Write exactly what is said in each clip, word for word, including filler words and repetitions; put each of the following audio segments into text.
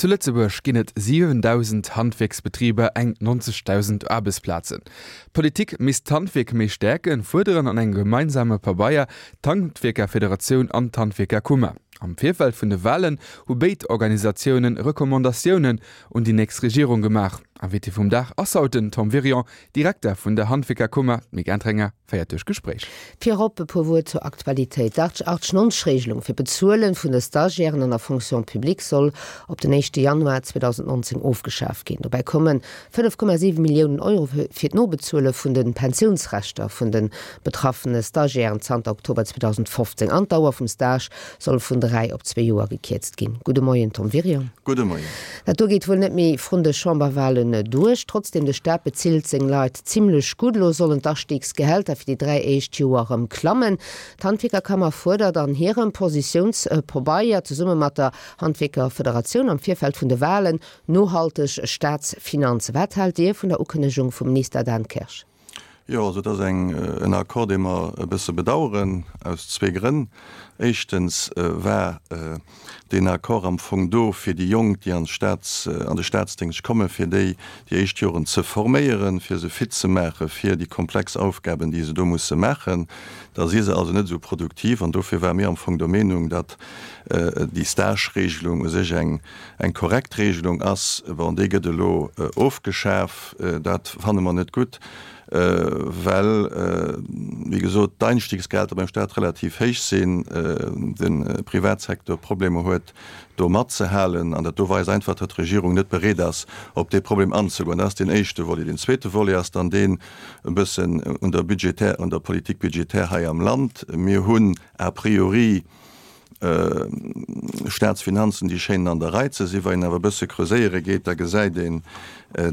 Zu Lëtzebuerg ginn et siwendausend Handwierksbetriber, eng neunzegdausend Aarbechtsplazen. D'Politik misst d'Handwierk méi stäerken, fuerderen an engem gemeinsame Pabeier d'Handwierkerfederatioun an d'Handwierkerkummer. Am Virfeld vun de Walen hu béid Organisatioune Recommandatiounen un déi nächst Regierung gemaach. Invité vum Dag ass haut den Tom Wirion, Direkter vun der Handwierkerkummer. D'Mick Entringer féiert duerch d'Gespréich. Virop e puer Wuert zur Aktualitéit. D'Arch-neunzeg-Regelung fir d'Bezuele vun de Stagiairen an der Fonction publique soll op den éischte Januar zweedausendnonzéng ofgeschaf ginn. Dobäi komme fënnef Komma siwe Milliounen Euro fir d'Nobezuele vun de Pensiounsrechter vun de betraffene Stagiairen zanter Oktober zweedausendfofzéng. An d'Dauer vum Stage soll vun dräi op zwee Joer gekierzt ginn. Gudde Moien, Tom Wirion. Gudde Moien. Dat do geet wuel net méi vrun de Chamberwahlen duerch. Trotzdem, de Staat bezilt seng Leit zimlech gutt. Elo sollen d'Asteegsgehälter fir déi dräi éischt Joer erëm klammen. D'Handwierkerkammer fuerdert an hirem Positiounspabeier zesumme mat der Handwierkerfederatioun am Virfeld vun de Wahlen nohalteg Staatsfinanzen. Wat haalt Dir vun der Ukënnegung vum Minister Dan Kersch? Jo, also et ass eng, en Accord, dee mer e bësse bedauern, aus zwee Grënn. Éischtens war deen Accord am Fong do, fir déi Jonk, déi an d'Staats, an de Staatsdéngscht kommen, fir déi déi éischt Joren ze forméieren, fir se fit ze maache fir déi komplex Aufgaben, déi se do musse maachen. Da si se also net esou produktiv. An dofir ware mir am Fong der Meenung, datt déi Stage-Regelung u sech eng, eng korrekt Regelung ass. Bon, déi gëtt elo ofgeschaf. Dat fanne mer net gutt, well, wéi gesot, d'Einstiegsgehalter beim Staat relativ héich sinn, de Privatsecteur Problemer huet, do matzehalen. An dat do weist einfach, datt d'Regierung net bereet ass, op dee Problem anzegoen. Dat ass deen éischte Volet. Deen zweete Volet ass dann deen e bëssen un der budgetär, un der Politique budgétaire hei am Land. Mir hunn a priori Staatsfinanzen, déi schéinen an der Rei ze sinn. Wa een awer e bësse creuséiere geet, da gesäit een,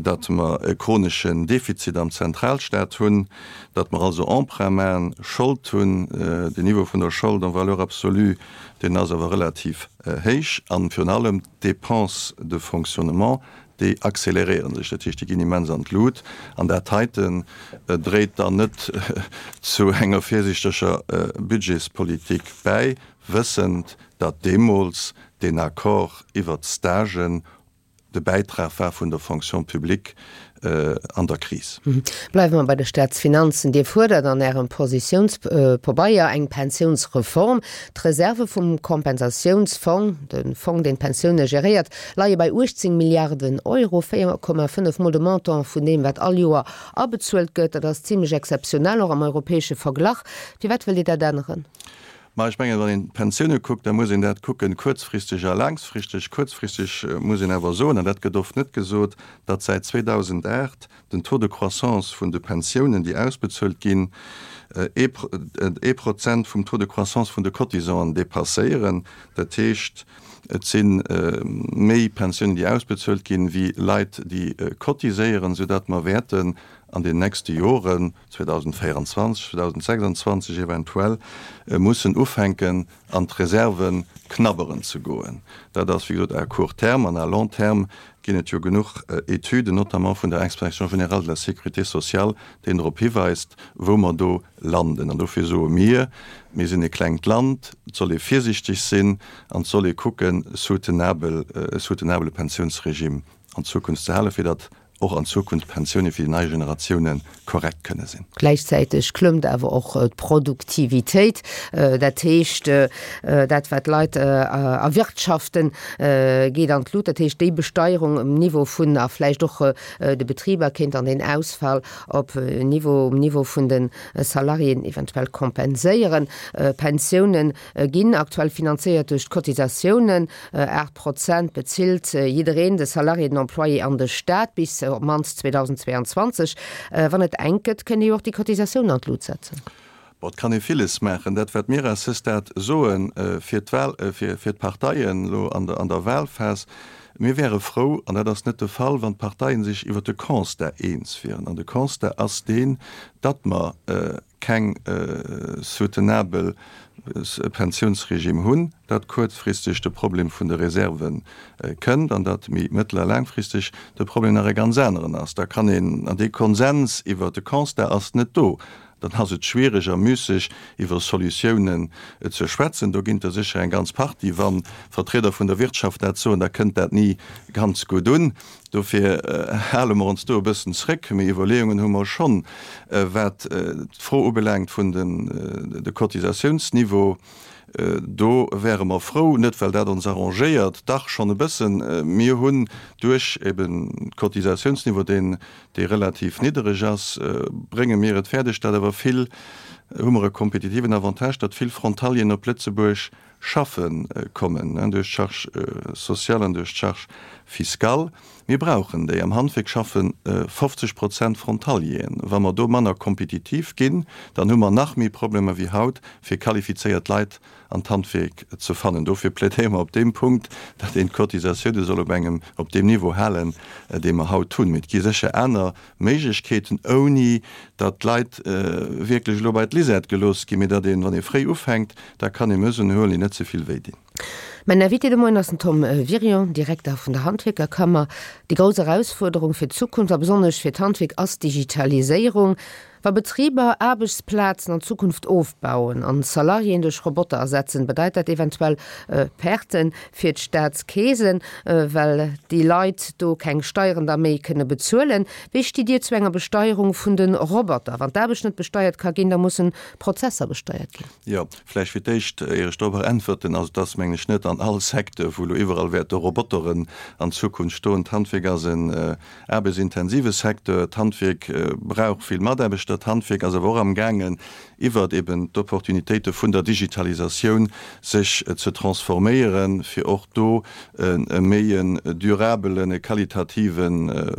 datt mer e chroneschen Defizit am Zentralstaat hunn, datt mer also Emprunt maachen, Schold hunn. Den Niveau vun der Schold en valeur absolue, deen ass awer relativ héich. An virun allem d'Dépenses de fonctionnement, déi accéléréiere sech, dat heescht, déi ginn immens an d'Lut. An dat heiten dréit dann net zu enger virsiichteger Budgetspolitik bäi, wëssend, datt deemools deen Accord iwwert d'Stagen de Bäitrag war vun der Fonction publique an der Kris. Bleiwe mer bei de Staatsfinanzen. Dir fuerdert an Ärem Positiounspabeier eng Pensiounsreform. D'Reserve vum Kompensatiounsfong, de Fong, deen d'Pensioune geréiert, leie bei uechtzéng Milliarden Euro, véier Komma fënnef mol de Montant vun deem, wat all Joer abezuelt gëtt. Dat ass zimlech exzeptionell, och am europäesche Verglach. Firwat wëllt Dir dat änneren? Ma ech mengen, wann een d'Pensioune kuckt, da muss een dat kucken, kuerzfristeg a laangfristeg. Kuerzfristeg muss een awer soen, an dat gëtt oft net gesot, datt säit zweedausendacht den Taux de croissance vun de Pensiounen, déi ausbezuelt ginn, ee Prozent vum Taux de croissance vun de Cotisanten dépasséieren. Dat heescht, et si méi Pensiounen, déi ausbezuelt ginn, wéi Leit, déi cotiséieren, soudatt mer wäerten an den nächste Joren, zweedausendvéierundzwanzeg, zweedausendsechsundzwanzeg eventuell, mussen ufänken, an d'Reserve knabberen ze goen. Dat ass, wéi gesot, à court terme. An à long terme ginn et jo genuch Etüden, notamment vun der Inspection générale de la sécurité sociale, déi drop hiweist, wou mer do landen. An dofir soe mir, Mir sinn e klengt Land, et soll ee virsiichteg sinn an et soll ee kucken, soutenabel, e soutenabele Pensiounsregime an Zukunft ze halen, fir datt och an Zukunft d'Pensioune fir déi nei Generatioune korrekt kënne sinn. Gläichzäiteg klëmmt awer och d'Produktivitéit, dat heescht, dat wat d'Leit erwirtschaften, geet an d'Lut. Dat heescht, déi Besteierung um Niveau vun a vläicht och de Betriber kéint dann deen Ausfall op Niveau, um Niveau vun de Salariéen eventuell kompenséieren. Pensioune ginn aktuell finanzéiert duerch d'Cotisatiounen. Aacht Prozent bezilt jiddereen, de Salarié, den Employé an de Staat, bis op d'mannst zweedausendzweeanzwanzeg. Wann et enk gëtt, kënnt Dir jo och déi Cotisatiounen an d'Lut setzen. Bon, et kann ee villes maachen. Dat, wat mir à ce stade soen, fir d'Wahl, fir d'Parteien elo an der, an der Wahlphas, Mir wäre frou, an dat ass net de Fall, wann d'Parteien sech iwwert de Constat eens wieren. An de Constat ass deen, datt mer keng soutenabel Pensiounsregime hunn, datt kuerzfristeg de Problem vun de Reserve kënnt an datt méi mëttel a laangfristeg de Problem nach e ganz aneren ass. Da kann een, an dee Konsens iwwert de Constat ass net do. dann ass et schwiereg a müsseg, iwwer Solutiounen ze schwätzen. Do ginn der sécher eng ganz Partie. Wa Vertrieder vun der Wirtschaft dat soen, da kënnt dat ni ganz gutt un. Dofir hale mer ons do e bëssen zréck. Mee Iwwerleeungen hu mer schonn, wat d'Fro ubelaangt vun de Cotisatiounsniveau. Do wäre mer frou, net well dat ons arrangéiert, dach schonn e bëssen, mir hunn duerch eben d'Cotisatiounsniveau, deen, dee relativ niddereg ass, brénge mir et fäerdeg, datt awer vill, hu mer e kompetitiven Avantage, datt vill Frontalieren op Lëtzebuerg schaffe kommen, duerch d'Charge sociale an duerch d'Charge fiscale. Mir brauchen déi. Am Handwierk schaffe fofzeg Prozent Frontalieren. Wa mer do manner kompetitiv ginn, dann hu mer nach méi Problemer wéi haut, fir qualifizéiert Leit an d'Handwierk ze fannen. Dofir plädéiere mer op deem Punkt, datt een d'Cotisatioune soll op engem, op deem Niveau halen, dee mer haut hunn. Mee et gi sécher aner Méiglechkeeten, ouni datt d'Leit wierklech elo bei d'Lisette gelooss ginn, mee datt een, wann ee fréi ufänkt, da kann ee Mesuren huelen, déi net ze vill wéi dinn. Mäin Invité de Moien ass den Tom Wirion, Direkter vun der Handwierkerkammer. Déi grouss Erausfuerderung fir d'Zukunft a besonnesch fir d'Handwierk ass d'Digitaliséierung. Wa Betriber Aarbechtsplazen an Zukunft ofbauen an Salariéen duerch Roboter ersetzen, bedeit dat eventuell Perten fir d'Staatskeesen, well déi Leit do keng Steieren da méi kënne bezuelen. Wéi stitt Dir zu enger Besteierung vun de Roboter? Wann d'Aarbecht net besteiert ka ginn, da mussen d'Prozesser besteiert ginn. Jo, vläicht fir d'éischt, ier ech dorobber äntwerten, also et ass, mengen ech, net an all Secteur, wou elo iwwerall wäerte Roboteren an Zukunft stoen. D'Handwierk ass en aarbechtsintensive Secteur. D'Handwierk brauch vill Mataarbechter. D'Handwierk ass awer och amgaangen, iwwert eben d'Opportunitéite vun der Digitalisatioun sech ze transforméieren, fir och do e méi en durabelen, e qualitative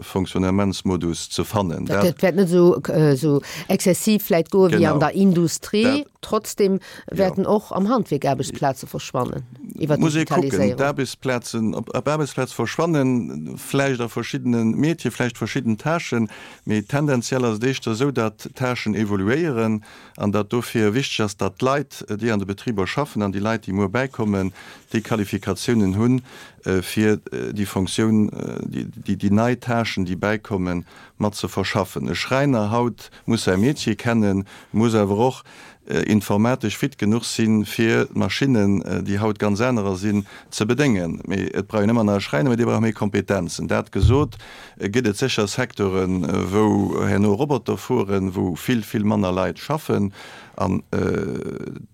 Fonctionnementsmodus ze fannen. Dat wäert net esou exzessiv vläicht goe wéi an der Industrie. Trotzdem wäerten och am Handwierk Aarbechtsplaze verschwannen iwwer d'Digitaliséierung. D'Aarbechtsplazen, ob Aarbechtsplaze verschwannen, vläicht a verschiddene Métier, vläicht verschidden Tâchen, mee tendenziell ass et éischter esou, datt d'Tâchen evoluéieren an datt dofir wichteg ass, datt d'Leit, déi an de Betriber schaffen an déi Leit, déi muer bäikommen, déi Qualifikatiounen hunn, fir déi Fonctioun, déi nei Tâchen, déi bäikommen, mat ze verschaffen. E Schräiner haut muss säi Métier kennen, muss awer och informatesch fit genuch sinn, fir d'Maschinnen, déi haut ganz anerer sinn, ze bedéngen. Mee et brauch een ëmmer nach e Schräiner, mee dee brauch méi Kompetenzen. Dat gesot, gëtt et sécher Secteuren, wou herno Roboter fueren, wou vill, vill manner Leit schaffen. An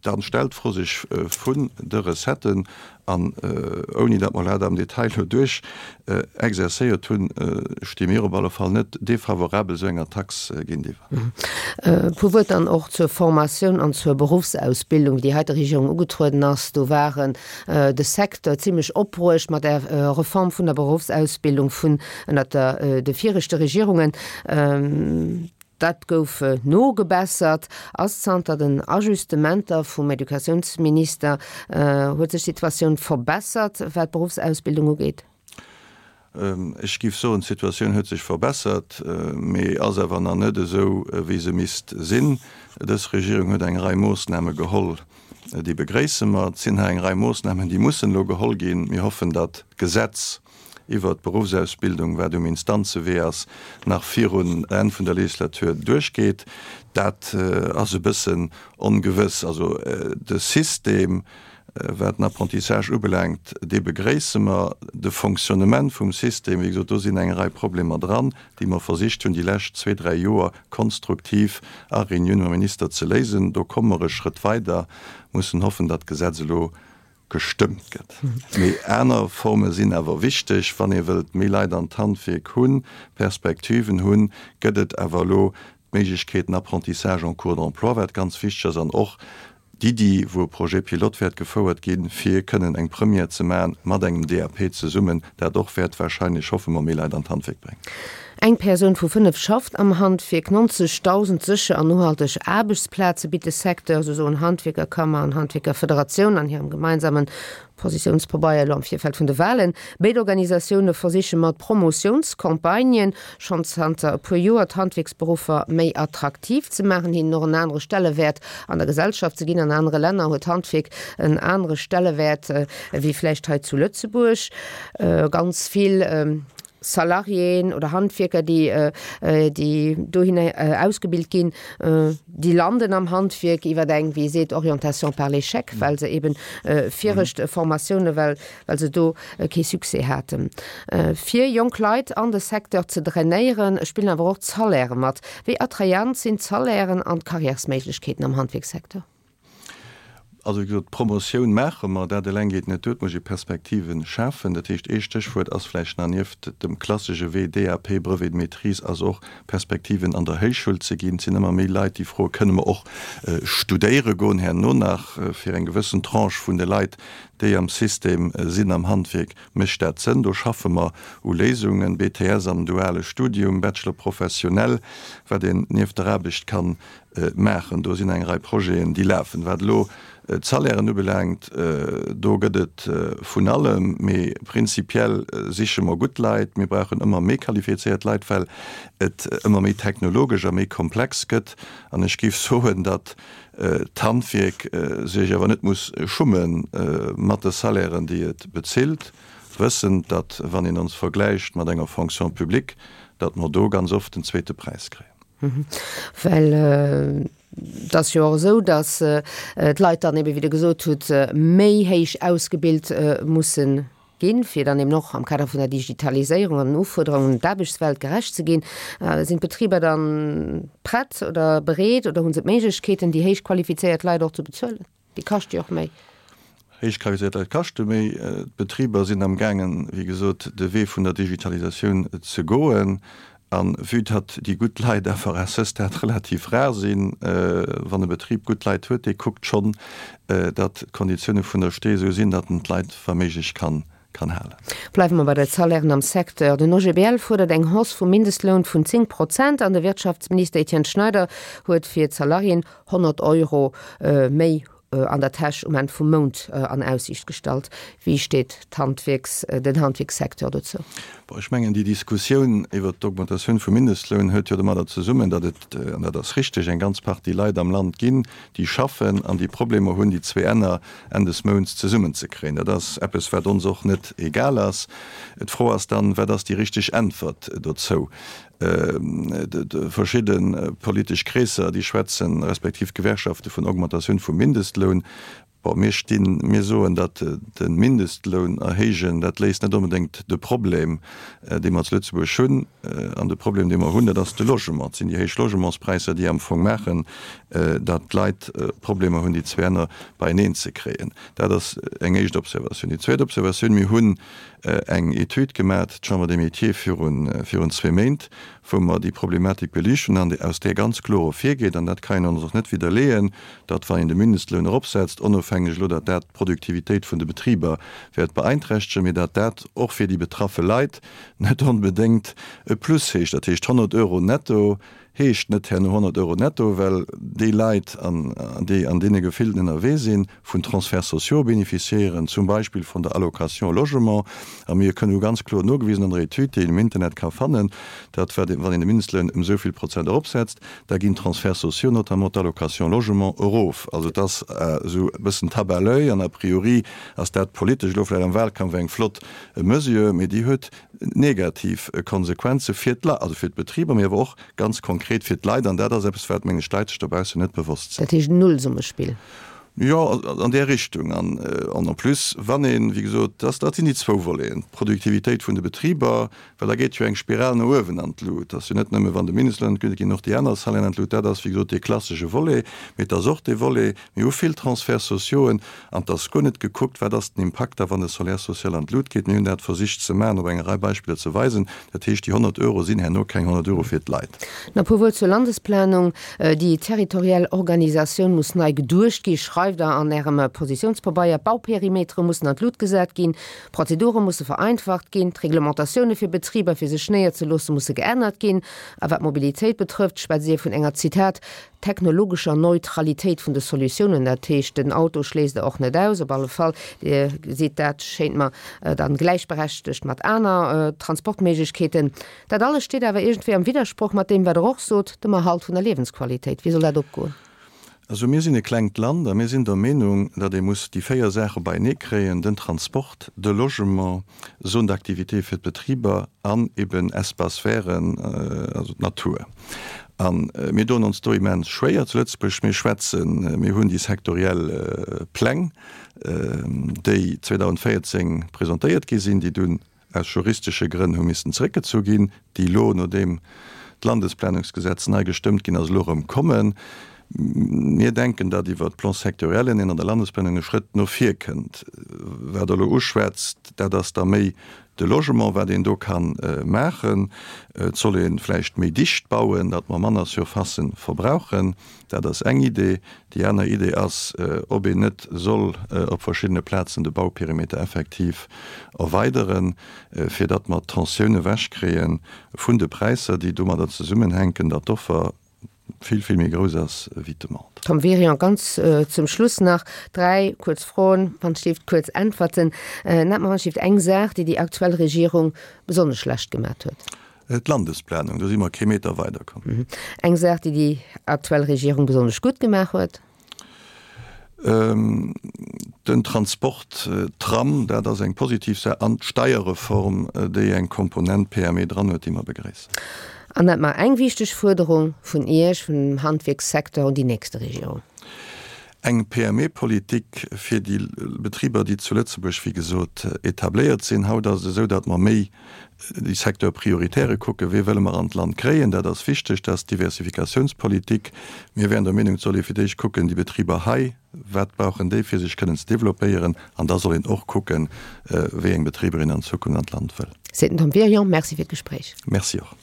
dann stellt d'Fro sech vun de Recetten. An ouni datt mer dat am Detail elo duerch exerzéiert hunn, sti mir op alle Fall net defavorabel esou enger Tax géintiwwer. E puer Wuert dann och zur Formatioun an zur Beruffsausbildung, wéi déi heite Regierung ugetrueden ass. Do waren de Secteur zimlech opbruecht mat der Reform vun der Beruffsausbildung vun ënnert de viregte Regierungen. Dat gouf nogebessert. Ass zanter den Ajustementer vum Educatiounsminister, huet sech d'Situatioun verbessert, wat d'Beruffsausbildung ugeet? Ech géif soen, d'Situatioun huet sech verbessert, mee ass awer nach net esou, wéi se misst sinn. Dës Regierung huet eng Rei Moossname geholl, déi begréisse mer. Et sinn nach eng Rei Moossnamen, déi mussen elo geholl ginn. Mir hoffen, datt d'Gesetz iwwert d'Beruffsausbildung, wat um Instanzewee ass, nach virun Enn vun der Legislatur duerchgeet. Dat ass e bëssen ongewëss. Also de System, wat den Apprentissage ubelaangt, dee begréisse mer. De Fonctionnement vum System, wéi gesot, do sinn eng Rei Problemer dran, déi mer versicht hunn, déi lescht zwee, dräi Joer konstruktiv a Reunioune mam Minister ze léisen. Do komme mer e Schrëtt weider, mussen hoffen, datt d'Gesetz elo gestëmmt gëtt. Mee aner Forme sinn awer wichteg, wann ee wëllt méi Leit an d'Handwierk hunn, Perspektiven hunn, gëtt et awer elo d'Méiglechkeet, den Apprentissage en cours d'emploi, wat ganz wichteg ass, an och d'Iddi, wou e Projet pilote wäert gefouert ginn, fir kënnen eng Première ze maachen mat engem D A P zesummen, dat och wäert wahrscheinlech, hoffe mer, méi Leit an d'Handwierk bréngen. Eng Persoun vu fënnef schafft am Handwierk. neunzigtausend sécher an nohalteg Aarbechtsplaze bitt de Secteur, esou soen Handwierkerkammer an Handwierkerfederatioun an hirem gemeinsame Positiounspabeier elo am Virfeld vun de Walen. Béid Organisatioune versiche mat Promotiounscampagnen schonn zanter e puer Joer d'Handwierksberuffer méi attraktiv ze maachen, hinnen och en anere Stellewäert an der Gesellschaft ze ginn. An anere Länner huet d'Handwierk en anere Stellewäert wéi vläicht hei zu Lëtzebuerg. Ganz vill Salariéen oder Handwierker, déi, déi dohinner ausgebilt ginn, déi landen am Handwierk iwwer eng, wéi ee seet, Orientation par l'échec, well se eben viregt Formatioune, well, well se do kee Succès haten. Fir jonk Leit an de Secteur ze drainéieren, spillen awer och d'Salairë mat. Wéi attrayant sinn d'Salairen an d'Karriärsméiglechkeeten am Handwierkssecteur? Also, wéi gesot, d'Promotioun maache mer, dat eleng geet net duer, et muss ee Perspektive schafen. Dat heescht, ee Stéchwuert ass vläicht nach nieft dem klassesche Wee D A P, Brevet de maîtrise, ass och Perspektiven an der Héichschoul ze ginn. Et sinn ëmmer méi Leit, déi froen, Kënne mer och studéiere goen herno nach? Fir eng gewëssen Tranche vun de Leit, déi am System sinn am Handwierk, mécht dat Sënn. Do schaffe mer u Léisungen, B T S am duale Studium, Bachelor professionnel, wat een nieft der Aarbecht ka maachen. Do sinn eng Rei Projeten, déi lafen. Wat elo d'Salairen ubelaangt, do gëtt et vun allem, mee prinzipiell siche mer gutt Leit. Mir brauchen ëmmer méi qualifizéiert Leit, well et ëmmer méi technologesch a méi komplex gëtt. An ech géif soen, datt d'Handwierk sech awer net muss schumme mat de Salairen, déi et bezilt, wëssend, datt, wann een ons vergläicht mat enger Fonction publique, datt mer do ganz oft den zweete Präis kréien. Well et ass jo och esou, datt d'Leit dann ebe, wéi Der gesot hutt, méi héich ausgebilt mussen ginn, fir dann eben och am Kader vun der Digitaliséierung an den Ufuerderungen un d'Aarbechtswelt gerecht ze ginn. Sinn d'Betriber dann prett oder bereet oder hu se d'Méiglechkeeten, déi héich qualifizéiert Leit och ze bezuelen? Déi kaschte jo och méi. Héich qualifizéiert Leit kaschte méi. D'Betriber sinn am gaangen, wéi gesot, de Wee vun der Digitalisatioun ze goen. A vue datt déi gutt Leit awer à ce stade relativ rar sinn, wann e Betrib gutt Leit huet, dee kuckt schonn, datt d'Konditioune vun der Stee esou sinn, datt en d'Leit wa méiglech kann kann halen. Bleiwe mer bei de Salairen am Secteur. Den O G B L fuerdert eng Hausse vum Mindestloun vun zéng Prozent an de Wirtschaftsminister Etienne Schneider huet fir d'Salariéen honnert Euro méi an der Täsch um Enn vum Mount an Aussiicht gestallt. Wéi steet d'Handwierks, den Handwierkssecteur dozou? Bon, ech mengen, déi Diskussioun iwwert d'Augmentatioun vum Mindestloun huet jo domadder zesummen, datt et, an dat ass richteg, eng ganz Partie Leit am Land ginn, déi schaffen an déi Problemer hunn, déi zwee Enner Enn des Mounts zesummenzekréien. Dat ass eppes, wat ons och net egal ass. D'Fro ass dann, Wat ass déi richteg Äntwert dozou? Verschidde politesch Kreesser, déi schwätzen, respektiv Gewerkschafte vun Augmentatioun vum Mindestloun. Bon, mir stinn, mir soen, datt de Mindestloun erhéijen, dat léist net onbedéngt de Problem, dee mer zu Lëtzebuerg hunn. An de Problem, dee mer hunn, dat ass de Logement. Et sinn déi héich Logementspräisser, déi am Fong maachen, datt d'Leit Problemer hunn, déi zwee Enner beieneen ze kréien. Dat ass eng éischt Observatioun. Déi zweet Observatioun, Mir hunn eng Etüd gemat, d'Chambre des Métiers, virun, virun zwee Méint, wou mer déi Problematik beliicht hunn an aus där ganz kloer ervirgeet, an dat kann een ons och net widderleeën, datt wann een de Mindestloun eropsetzt, onofhängeg elo, datt dat d'Produktivitéit vun de Betriber wäert beeinträchtegen, mee datt dat och fir déi betraffe Leit net onbedéngt e Plus heescht. Dat heescht, honnert Euro netto heescht net herno honnert Euro netto, well déi Leit, an déi an deene Gefilden ënnerwee sinn, vun Transferts sociaux bénéficiéieren, zum Beispill vun der Allocation logement. A mir kënnen hu ganz kloer nogewisen an der Etüd, déi een im Internet ka fannen, datt wann een de Mindestloun ëm esou vill Prozent eropsetzt, da ginn d'Transferts sociaux, notamment d'Allocation logement, erof. Also et ass esou e bëssen Tabac à l'oeil an a priori ass dat politesch elo vläicht am Wahlkampf eng flott Mesure, mee déi huet negativ Konsequenze fir d'Leit, also fir d'Betriber, mee awer och ganz konkret fir d'Leit. An dat ass eppes, wat, mengen ech, d'Leit sech dobaussen net bewosst sinn. Dat heescht Nullsummespill? Jo, an där Richtung. An en plus, wann een, wéi gesot, dat, dat sinn déi zwou Voleten, d'Produktivitéit vun de Betriber, well da geet jo eng Spiral no uewen an d'Lut. Dat ass jo net nëmme, wann de Mindestloun an d'Lut geet, ginn och déi aner Salairen an d'Lut. Dat ass, wéi gesot, dee klassesche Volet. Mee et ass och dee Volet, mir hu vill Transferts sociauxen an et ass guer net gekuckt, wat ass den Impakt da, wann de Salaire social an d'Lut geet. Mir hunn dat versicht ze maachen, op enger Rei Beispiller ze weisen. Dat heescht, déi honnert Euro sinn herno keng honnert Euro fir d'Leit. Nach e puer Wuert zur Landesplanung. Déi territoriell Organisatioun muss nei geduecht gi, schreift Der an Ärem Positiounspabeier. D'Bauperimetere mussen an d'Lut gesat ginn, d'Prozedure musse vereinfacht ginn, d'Reglementatioune fir Betriber, fir sech néierzeloosse, musse geännert ginn. A wat d'Mobilitéit betrëfft, schwätzt Dir vun enger, Zitat, technologescher Neutralitéit vun de Solutiounen. Dat heescht, den Auto schléisst Der och net aus. Op alle Fall, Dir gesitt dat, schéint mer, dann gläichberechtegt mat aner Transportméiglechkeeten. Dat alles steet awer iergendwéi am Widdersproch mat deem, wat Der och sot, dem Erhalt vun der Liewensqualitéit. Wéi soll dat opgoen? Also mir sinn e klengt Land a mir sinn der Meenung, datt ee muss déi véier Saache beienee kréien, den Transport, de Logement, Zone d'activité fir d'Betriber an eben Espaces verts, also d'Natur. A mir doen ons do immens schwéier zu Lëtzebuerg. Mir schwätzen, mir hunn déi sektoriell Pläng, déi zweedausendvéierzéng presentéiert gi sinn, déi dunn aus juristesche Grënn hu missen zeréckgezu ginn, déi elo, nodeem d'Landesplanungsgesetz nei gestëmmt ginn ass, elo erëm kommen. Mir denken, datt iwwert d'Plans-sectoriellen een an der Landesplanung e Schrëtt no vir kënnt. Wat Der elo uschwätzt, dat ass da méi de Logement, wat een do ka maachen. Et soll ee vläicht méi dicht bauen, datt mer manner Surfacen verbrauchen. Dat ass eng Idee. Déi aner Idee ass, ob een net soll op verschiddene Plazen de Bauperimeter effektiv erweideren, fir datt mer d'Tensioun ewechkréie vun de Präisser, déi domadder zesummenhänken, datt d'Offer vill, vill méi grouss ass wéi d'Demande. Tom Wirion, ganz zum Schluss nach dräi kuerz Froen, wann et leeft kuerz Äntwerten. Nennt mer wann et leeft eng Saach, déi déi aktuell Regierung besonnesch schlecht gemat huet. D'Landesplanung, do si mer kee Meter weiderkomm. Eng Saach, déi déi aktuell Regierung besonnesch gutt gemaach huet. Den Transport, Tram, dat ass eng positiv Saach, an d'Steierreform, déi eng Komponent P M E dran huet, déi mer begréissen. An nennt mer eng wichteg Fuerderung vun Iech, vum Handwierkssecteur un déi nächste Regierung. Eng P M E-Politik fir déi Betriber, déi zu Lëtzebuerg, wéi gesot, etabléiert sinn. Haut ass et esou, datt mer méi déi Secteurs prioritaires kucken, wee wëlle mer an d'Land kréien. Dat ass wichteg, dat ass d'Diversifikatiounspolitik. Mir wären der Meenung, et soll ee fir d'éischt kucken, déi Betriber hei, wat brauchen déi, fir sech kënnen ze développéieren, an da soll een och kucken, wéi eng Betriber een an Zukunft an d'Land wëll. Seet den Tom Wirion. Merci fir d'Gespréich. Merci och.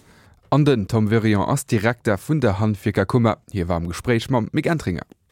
An den Tom Wirion ass Direkter vun der Handwierkerkummer. Hie war am Gespréich mam Mick Entringer.